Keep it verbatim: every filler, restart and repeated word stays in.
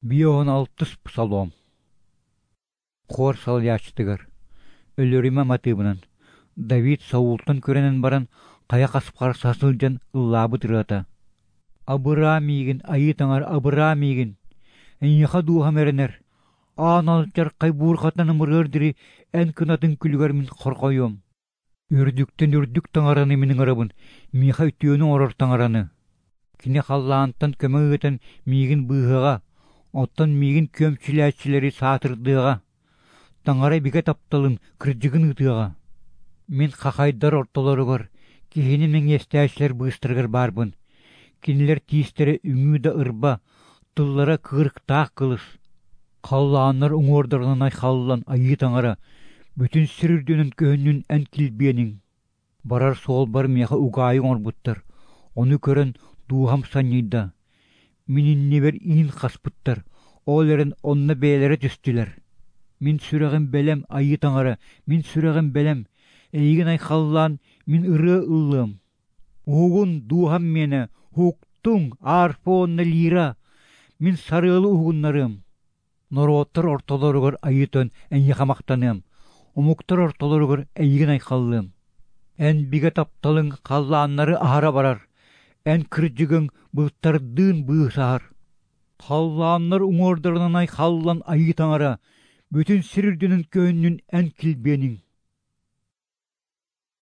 Биэс уон алтыс псалом. Хор салайааччытыгар Өлөрүмэ матыыбынан Давид Саултан күрэнэн баран хайа хаспаҕар саһа сылдьан ыллаабыт ырыата. Абыраа миигин, Айыы Таҥара, абыраа миигин! Эйиэхэ дууһам эрэнэр, аан алдьархай буурҕатынан ымырыар диэри эн кынатыҥ күлүгэр мин хорҕойуом. Үрдүктэн үрдүк Таҥараны мин ыҥырабын, миэхэ үтүөнү оҥорор Таҥараны. Кини халлаантан көмө ыытан миигин быыһыаҕа, оттон миигин күөмчүлээччилэри саатырдыаҕа. Таҥара бигэ тапталын, кырдьыгын ыытыаҕа. Мин хахайдар ортолоругар, киһини мэҥиэстээччилэр быыстарыгар баарбын. Кинилэр тиистэрэ үҥүү да ырба, тыллара кыырыктаах кылыс. Халлааннар уҥуордарынан айхаллан Айыы Таҥара, бүтүн сир үрдүнэн көһүннүн эн килбиэниҥ. Барар суолбар миэхэ угаайы оҥорбуттар, ону көрөн дууһам санньыйда. Мин иннибэр иин хаспыттар, ол эрэн онно бэйэлэрэ түстүлэр. Мин сүрэҕим бэлэм, Айыы Таҥара, мин сүрэҕим бэлэм, эйигин айхаллаан мин ырыа ыллыам. Уһугун, дууһам миэнэ, уһуктуҥ, арфа уонна лира, мин сарыалы уһугуннарыам. Норуоттар ортолоругар Айыы Тойон эйиэхэ махтаныам, омуктар ортолоругар эйигин айхаллыам. Эн бигэ тапталыҥ халлааннары аһара барар, эн кырдьыгыҥ былыттардыын быысаһар. Халлааннар уҥуордарынан айхаллан Айыы Таҥара, бүтүн сир үрдүнэн көһүннүн эн килбиэниҥ.